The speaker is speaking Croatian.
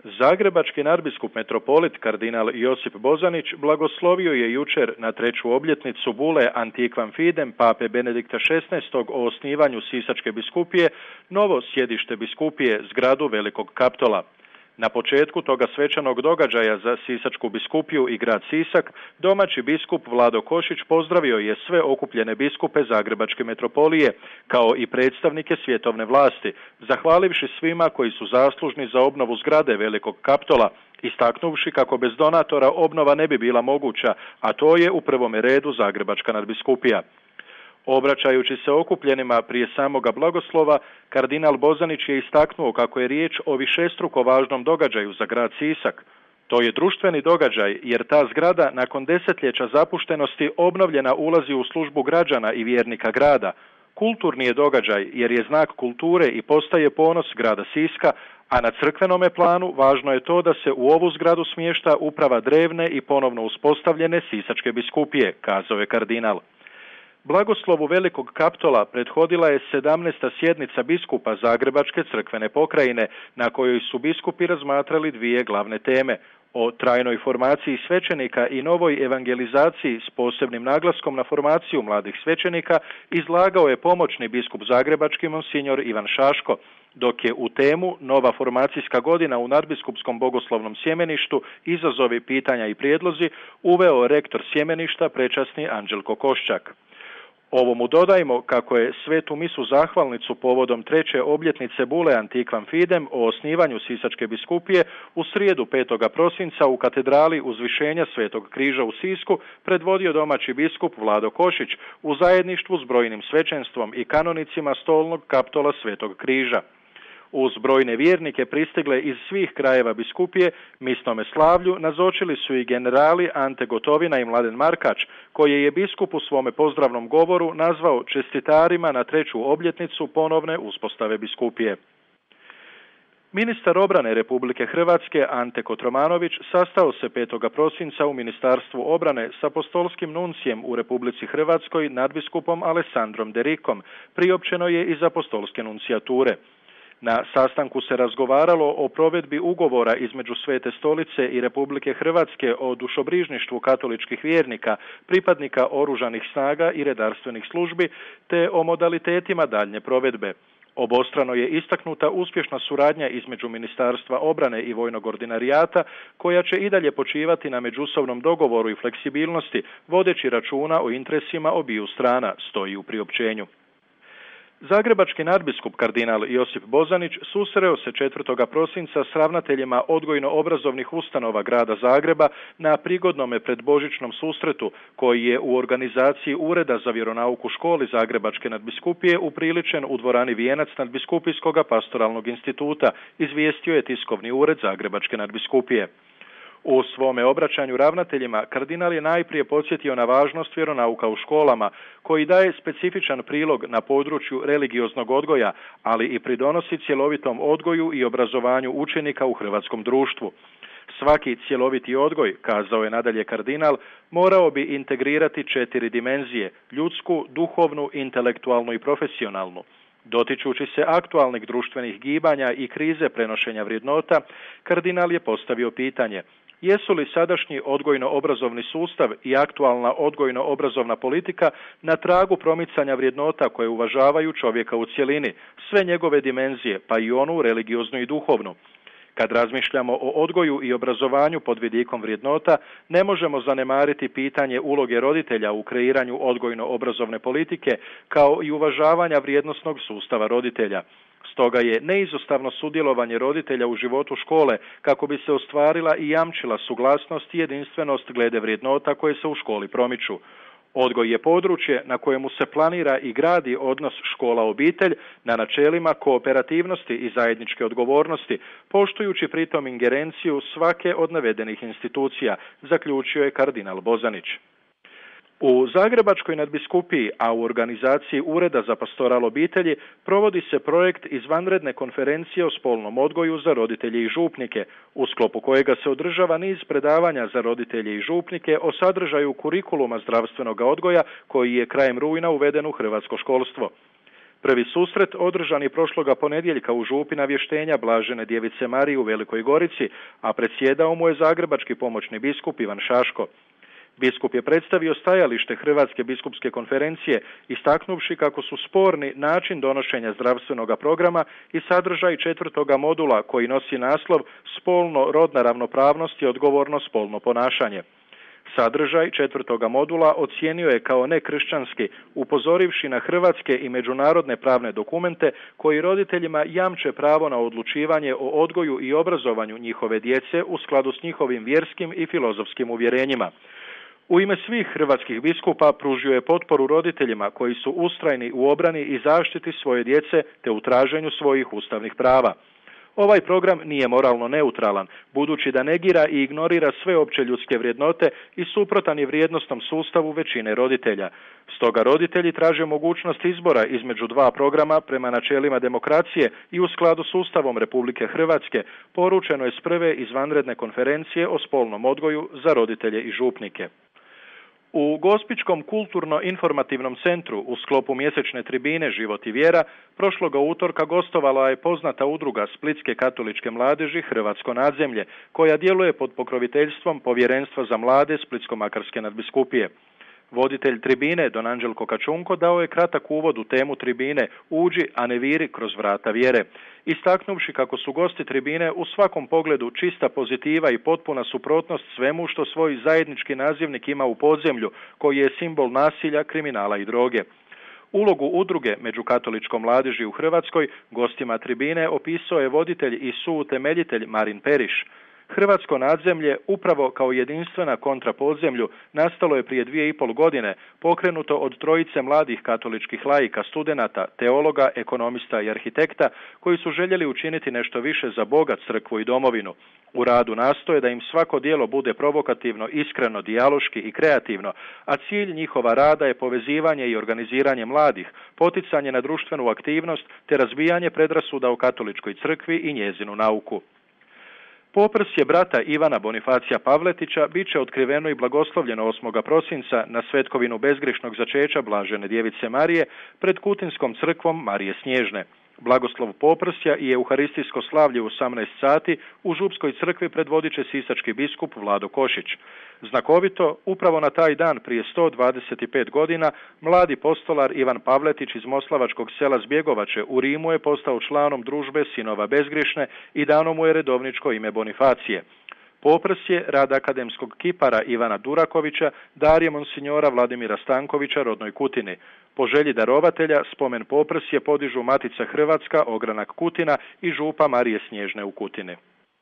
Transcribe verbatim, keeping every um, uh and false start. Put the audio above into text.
Zagrebački nadbiskup metropolit kardinal Josip Bozanić blagoslovio je jučer na treću obljetnicu bule Antiquam Fidem pape Benedikta šesnaestog o osnivanju Sisačke biskupije novo sjedište biskupije zgradu Velikog Kaptola. Na početku toga svečanog događaja za Sisačku biskupiju i grad Sisak, domaći biskup Vlado Košić pozdravio je sve okupljene biskupe Zagrebačke metropolije, kao i predstavnike svjetovne vlasti, zahvalivši svima koji su zaslužni za obnovu zgrade Velikog Kaptola, istaknuvši kako bez donatora obnova ne bi bila moguća, a to je u prvome redu Zagrebačka nadbiskupija. Obraćajući se okupljenima prije samoga blagoslova, kardinal Bozanić je istaknuo kako je riječ o višestruko važnom događaju za grad Sisak. To je društveni događaj jer ta zgrada nakon desetljeća zapuštenosti obnovljena ulazi u službu građana i vjernika grada. Kulturni je događaj jer je znak kulture i postaje ponos grada Siska, a na crkvenome planu važno je to da se u ovu zgradu smješta uprava drevne i ponovno uspostavljene Sisačke biskupije, kazao je kardinal. Blagoslovu Velikog Kaptola prethodila je sedamnaesta sjednica biskupa Zagrebačke crkvene pokrajine, na kojoj su biskupi razmatrali dvije glavne teme: o trajnoj formaciji svećenika i novoj evangelizaciji s posebnim naglaskom na formaciju mladih svećenika izlagao je pomoćni biskup Zagrebački monsinjor Ivan Šaško, dok je u temu Nova formacijska godina u nadbiskupskom bogoslovnom sjemeništu, izazovi, pitanja i prijedlozi uveo rektor sjemeništa prečasni Anđelko Koščak. Ovo mu dodajmo kako je svetu misu zahvalnicu povodom treće obljetnice bule Antiquam Fidem o osnivanju Sisačke biskupije u srijedu petog prosinca u katedrali Uzvišenja Svetog križa u Sisku predvodio domaći biskup Vlado Košić u zajedništvu s brojnim svećenstvom i kanonicima stolnog kaptola Svetog križa. Uz brojne vjernike pristigle iz svih krajeva biskupije, misnome slavlju nazočili su i generali Ante Gotovina i Mladen Markač, koje je biskup u svome pozdravnom govoru nazvao čestitarima na treću obljetnicu ponovne uspostave biskupije. Ministar obrane Republike Hrvatske Ante Kotromanović sastao se petog prosinca u Ministarstvu obrane s apostolskim nuncijem u Republici Hrvatskoj nadbiskupom Alessandrom Derikom, priopćeno je iz apostolske nuncijature. Na sastanku se razgovaralo o provedbi ugovora između Svete stolice i Republike Hrvatske o dušobrižništvu katoličkih vjernika, pripadnika oružanih snaga i redarstvenih službi, te o modalitetima daljnje provedbe. Obostrano je istaknuta uspješna suradnja između Ministarstva obrane i Vojnog ordinarijata, koja će i dalje počivati na međusobnom dogovoru i fleksibilnosti, vodeći računa o interesima obiju strana, stoji u priopćenju. Zagrebački nadbiskup kardinal Josip Bozanić susreo se četvrtog prosinca s ravnateljima odgojno-obrazovnih ustanova grada Zagreba na prigodnome predbožićnom susretu, koji je u organizaciji Ureda za vjeronauku školi Zagrebačke nadbiskupije upriličen u dvorani Vijenac nadbiskupijskog pastoralnog instituta, izvijestio je tiskovni ured Zagrebačke nadbiskupije. U svome obraćanju ravnateljima kardinal je najprije podsjetio na važnost vjeronauka u školama, koji daje specifičan prilog na području religioznog odgoja, ali i pridonosi cjelovitom odgoju i obrazovanju učenika u hrvatskom društvu. Svaki cjeloviti odgoj, kazao je nadalje kardinal, morao bi integrirati četiri dimenzije: ljudsku, duhovnu, intelektualnu i profesionalnu. Dotičući se aktualnih društvenih gibanja i krize prenošenja vrijednota, kardinal je postavio pitanje: jesu li sadašnji odgojno-obrazovni sustav i aktualna odgojno-obrazovna politika na tragu promicanja vrijednota koje uvažavaju čovjeka u cjelini, sve njegove dimenzije, pa i onu religioznu i duhovnu? Kad razmišljamo o odgoju i obrazovanju pod vidikom vrijednota, ne možemo zanemariti pitanje uloge roditelja u kreiranju odgojno-obrazovne politike, kao i uvažavanja vrijednosnog sustava roditelja. Stoga je neizostavno sudjelovanje roditelja u životu škole kako bi se ostvarila i jamčila suglasnost i jedinstvenost glede vrijednota koje se u školi promiču. Odgoj je područje na kojemu se planira i gradi odnos škola-obitelj na načelima kooperativnosti i zajedničke odgovornosti, poštujući pritom ingerenciju svake od navedenih institucija, zaključio je kardinal Bozanić. U Zagrebačkoj nadbiskupiji, a u organizaciji Ureda za pastoral obitelji, provodi se projekt izvanredne konferencije o spolnom odgoju za roditelje i župnike, u sklopu kojega se održava niz predavanja za roditelje i župnike o sadržaju kurikuluma zdravstvenog odgoja koji je krajem rujna uveden u hrvatsko školstvo. Prvi susret održan je prošloga ponedjeljka u župi Navještenja Blažene djevice Marije u Velikoj Gorici, a predsjedao mu je zagrebački pomoćni biskup Ivan Šaško. Biskup je predstavio stajalište Hrvatske biskupske konferencije, istaknuvši kako su sporni način donošenja zdravstvenoga programa i sadržaj četvrtoga modula koji nosi naslov Spolno rodna ravnopravnost i odgovorno spolno ponašanje. Sadržaj četvrtoga modula ocijenio je kao nekršćanski, upozorivši na hrvatske i međunarodne pravne dokumente koji roditeljima jamče pravo na odlučivanje o odgoju i obrazovanju njihove djece u skladu s njihovim vjerskim i filozofskim uvjerenjima. U ime svih hrvatskih biskupa pružio je potporu roditeljima koji su ustrajni u obrani i zaštiti svoje djece te u traženju svojih ustavnih prava. Ovaj program nije moralno neutralan, budući da negira i ignorira sve opće ljudske vrijednote i suprotan je vrijednosnom sustavu većine roditelja. Stoga roditelji traže mogućnost izbora između dva programa prema načelima demokracije i u skladu s Ustavom Republike Hrvatske, poručeno je s prve izvanredne konferencije o spolnom odgoju za roditelje i župnike. U Gospićkom kulturno-informativnom centru u sklopu mjesečne tribine Život i vjera prošloga utorka gostovala je poznata udruga Splitske katoličke mladeži Hrvatsko nadzemlje, koja djeluje pod pokroviteljstvom Povjerenstva za mlade Splitsko-makarske nadbiskupije. Voditelj tribine Don Anđelko Kačunko dao je kratak uvod u temu tribine Uđi, a ne viri kroz vrata vjere, istaknuvši kako su gosti tribine u svakom pogledu čista pozitiva i potpuna suprotnost svemu što svoj zajednički nazivnik ima u podzemlju, koji je simbol nasilja, kriminala i droge. Ulogu udruge među katoličkom mladeži u Hrvatskoj gostima tribine opisao je voditelj i suutemeljitelj Marin Periš. Hrvatsko nadzemlje, upravo kao jedinstvena kontra podzemlju, nastalo je prije dvije i pol godine, pokrenuto od trojice mladih katoličkih laika, studenata, teologa, ekonomista i arhitekta, koji su željeli učiniti nešto više za Boga, crkvu i domovinu. U radu nastoje da im svako djelo bude provokativno, iskreno, dijaloški i kreativno, a cilj njihova rada je povezivanje i organiziranje mladih, poticanje na društvenu aktivnost te razbijanje predrasuda o katoličkoj crkvi i njezinu nauku. Poprsje brata Ivana Bonifacija Pavletića bit će otkriveno i blagoslovljeno osmoga prosinca na svetkovinu bezgrešnog začeća Blažene djevice Marije pred Kutinskom crkvom Marije Snježne. Blagoslov Poprsja i euharistijsko slavlje u osamnaest sati u Župskoj crkvi predvodit će sisački biskup Vlado Košić. Znakovito, upravo na taj dan prije sto dvadeset pet godina, mladi postolar Ivan Pavletić iz moslavačkog sela Zbjegovače u Rimu je postao članom družbe sinova bezgrišne i dano mu je redovničko ime Bonifacije. Poprsje, rad akademskog kipara Ivana Durakovića, dar je monsignora Vladimira Stankovića rodnoj Kutini. Po želji darovatelja, spomen Poprsje podižu Matica Hrvatska, ogranak Kutina i župa Marije Snježne u Kutini.